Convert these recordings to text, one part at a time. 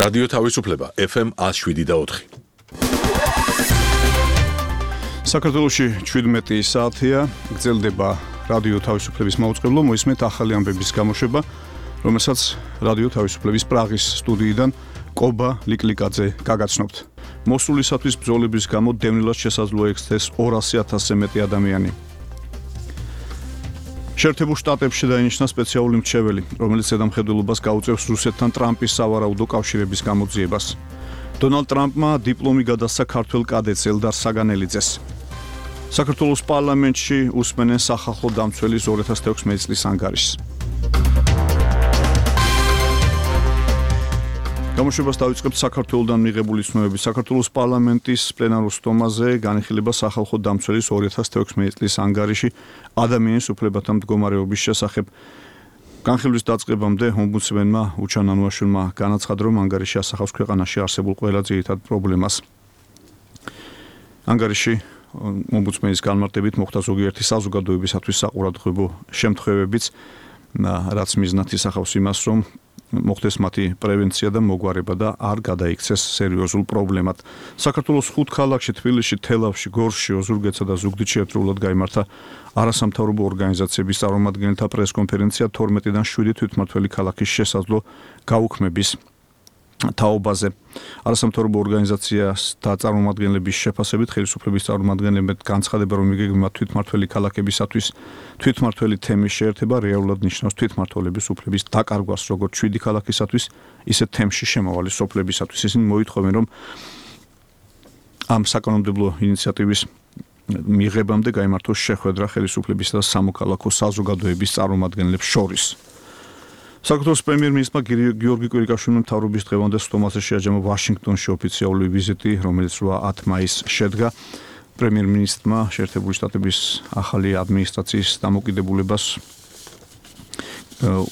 რადიო თავისუფლება FM 107.4. საქართველოში 17 საათია, გრძელდება რადიო თავისუფლების მაუწყებლო, მოისმენთ ახალი ამბების გამოშვება, რომელსაც რადიო თავისუფლების პრაღის სტუდიიდან კობა ლიკლიკაძე გაგაცნობთ. მოსულისათვის ბრძოლების გამო დევნილად შესაძლოა იქცეს 200,000-ზე მეტი ადამიანი. შეერთებულ შტატებში დაინიშნა სპეციალური მრჩეველი, რომელიც ზედამხედველობას გაუწევს რუსეთთან ტრამპის სავარაუდო კავშირების გამოძიებას. დონალდ ტრამპმა დიპლომი გადასცა ქართველ კადეტს ელდარ საგანელიძეს. საქართველოს პარლამენტში უსმენენ სახალხო დამცველის 2016 წლის ანგარიშს. გამოშვებას დავიწყებთ საქართველოდან მიღებული ცნობებით. საქართველოს პარლამენტის პლენარულ სტომაზე განიხილება სახალხო დამცველის 2016 წლის ანგარიში ადამიანის უფლებათა მდგომარეობის შესახებ. განხილვის დაწყებამდე ომბუდსმენმა უჩან ანუაშვილმა განაცხადა, რომ ანგარიში ასახავს ქვეყანაში არსებულ ყველა ძირითად პრობლემას. ანგარიში ომბუდსმენის განმარტებით მოხდა ზოგიერთი საზოგადოებისათვის საყურადღებო შემთხვევებიც, რაც მიზნად ისახავს იმას, რომ მოხდეს მათი პრევენცია და მოგვარება და არ გადაიქცეს სერიოზულ პრობლემად. საქართველოს 5 ქალაქში, თბილისში, თელავში, გორში, ოზურგეთსა და ზუგდიდში ერთდროულად გაიმართა არასამთავრობო ორგანიზაციების წარმომადგენელთა პრესკონფერენცია 12-დან 7 თვითმმართველი ქალაქის შესაძლო გაუქმების თაობაზე. არასამთავრობო ორგანიზაციასთა წარმომადგენლების შეფასებით ხელისუფლების წარმომადგენლებმა განცხადება, რომ იგეგმება თვითმმართველი ქალაქებისათვის თვითმმართველი თემის შეერთება რეალურად ნიშნავს თვითმმართველების უფლების დაკარგვას როგორც 7 ქალაქისათვის, ისე თემში შემავალი სოფლებისათვის. ისინი მოითხოვენ, რომ ამ საკანონმდებლო ინიციატივის მიღებამდე გაიმართოს შეხვედრა ხელისუფლებისა და სამოქალაქო საზოგადოების წარმომადგენლებს შორის. საქართველოს პრემიერ-მინისტრმა გიორგი კვირიკაშვილმა მთავრობის დღევანდელ სტომაზე შეაჯამა ვაშინგტონში ოფიციალური ვიზიტი, რომელიც 8 მაისს შედგა. პრემიერ-მინისტრმა შეერთებული შტატების ახალი ადმინისტრაციის დამოკიდებულებას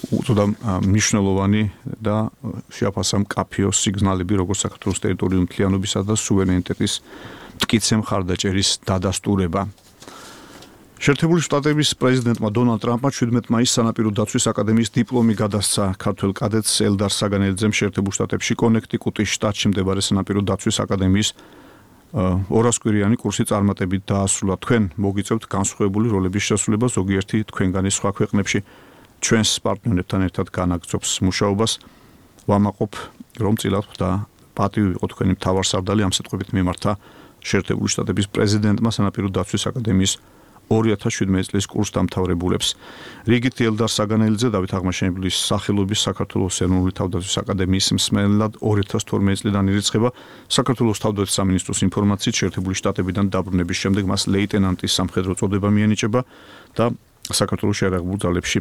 უწოდა მნიშვნელოვანი და შეაფასა მკაფიო სიგნალები, როგორც საქართველოს ტერიტორიული მთლიანობისა და სუვერენიტეტის მტკიცე მხარდაჭერის დადასტურება. შეერთებული შტატების პრეზიდენტმა დონალდ ტრამპმა 17 მაისს სანაპირო დაცვის აკადემიის დიპლომი გადასცა ქართველ კადეტს ელდარ საგანელიძემ შეერთებულ შტატებში კონექტიკუტის შტატში მდებარე სანაპირო დაცვის აკადემიის 200 კვირიანი კურსი წარმატებით დაასრულა. თქვენ მოგიწევთ განსხვავებული როლების შესრულება ზოგიერთი თქვენგანი სხვა ქვეყნებში. ჩვენს პარტნიორებთან ერთად განაგრძობს მუშაობას. ვამაყობ, რომ წილად და პატივი იყო თქვენი მთავარსარდალი, ამ სიტყვებით მიმართა შეერთებული შტატების პრეზიდენტმა სანაპირო დაცვის აკადემიის 2017 წლის კურსდამთავრებულებს. რიგითი ელდარ საგანელიძე დავით აღმაშენებლის სახელობის საქართველოს ეროვნული თავდაცვის აკადემიის მსმენელად 2012 წლიდან ირიცხება. საქართველოს თავდაცვის სამინისტროს ინფორმაციით შეერთებული შტატებიდან დაბრუნების შემდეგ მას ლეიტენანტის სამხედრო წოდება მიენიჭება და საქართველოს შეიარაღებულ ძალებში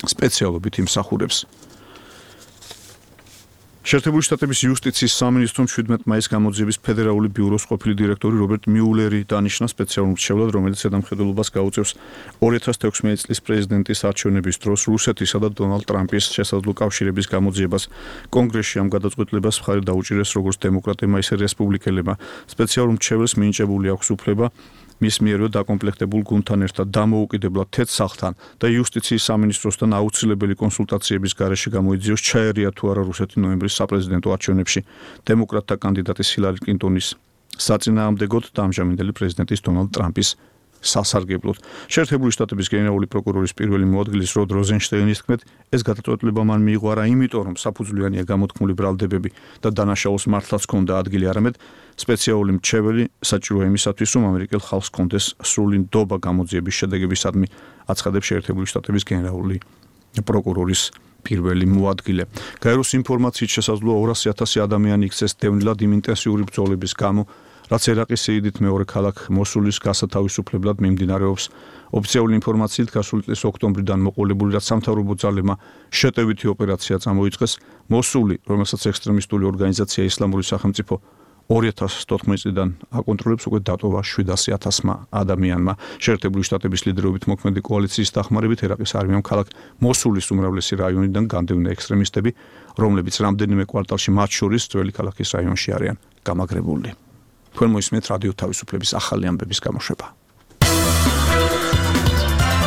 სპეციალობით იმსახურებს. შეერთებული შტატების იუსტიციის სამინისტრომ 17 მაისს გამოძიების ფედერალური ბიუროს ყოფილი დირექტორი რობერტ მიულერი დანიშნა სპეციალურ მრჩევლად, რომელიც ზედამხედველობას გაუწევს 2016 წლის პრეზიდენტის არჩევნების დროს რუსეთისა და დონალდ ტრამპის შესაძლო კავშირების გამოძიებას. კონგრესში ამ გადაწყვეტილებას მხარი დაუჭირეს როგორც დემოკრატებმა, ისე რესპუბლიკელებმა. სპეციალურ მრჩეველს მინიჭებული აქვს უფლება მის მიერვე დაკომპლექტებულ გუნდთან ერთად დამოუკიდებლად თეთრ სახლთან და იუსტიციის სამინისტროსთან აუცილებელი კონსულტაციების გარეშე გამოიძიოს ჩაერია თუ არა რუსეთი ნოემბრის საპრეზიდენტო არჩევნებში დემოკრატთა კანდიდატის ჰილარი კლინტონის საწინააღმდეგოდ და ამჟამინდელი პრეზიდენტის დონალდ ტრამპის სასარგებლოდ. შეერთებული შტატების გენერალური პროკურორის პირველი მოადგილის როდ როზენშტეინის თქმით, ეს გადაწყვეტილება მან მიიღო არა იმიტომ, რომ საფუძვლიანია გამოთქმული ბრალდებები და დანაშაულს მართლაც ჰქონდა ადგილი, არამედ სპეციალური მრჩეველი საჭიროა იმისათვის, რომ ამერიკელ ხალხს ჰქონდეს სრული ნდობა გამოძიების შედეგებისადმი, აცხადებს შეერთებული შტატების გენერალური პროკურორის პირველი მოადგილე. გაეროს ინფორმაციით შესაძლოა 200,000 ადამიანი იქცეს დევნილად იმ ინტენსიური ბრძოლების გამო, რაც ერაყის სიიდით მეორე ქალაქ მოსულის გასათავისუფლებლად მიმდინარეობს. ოფიციალური ინფორმაციით გასული წლის ოქტომბრიდან მოყოლებული რაც სამთავრობო ძალებმა შეტევითი ოპერაცია წამოიწყეს, მოსული, რომელსაც ექსტრემისტული ორგანიზაცია ისლამური სახელმწიფო 2014 წლიდან აკონტროლებს, უკვე დატოვა 700,000 ადამიანმა. შეერთებული შტატების ლიდერობით მოქმედი კოალიციის დახმარებით ერაყის არმიამ ქალაქ მოსულის უმრავლესი რაიონიდან განდევნა ექსტრემისტები, რომლებიც რამდენიმე კვარტალში მათ შორის ძველი ქალაქის რაიონში არიან გამაგრებული. თქვენ მოისმენთ რადიო თავისუფლების ახალი ამბების გამოშვება.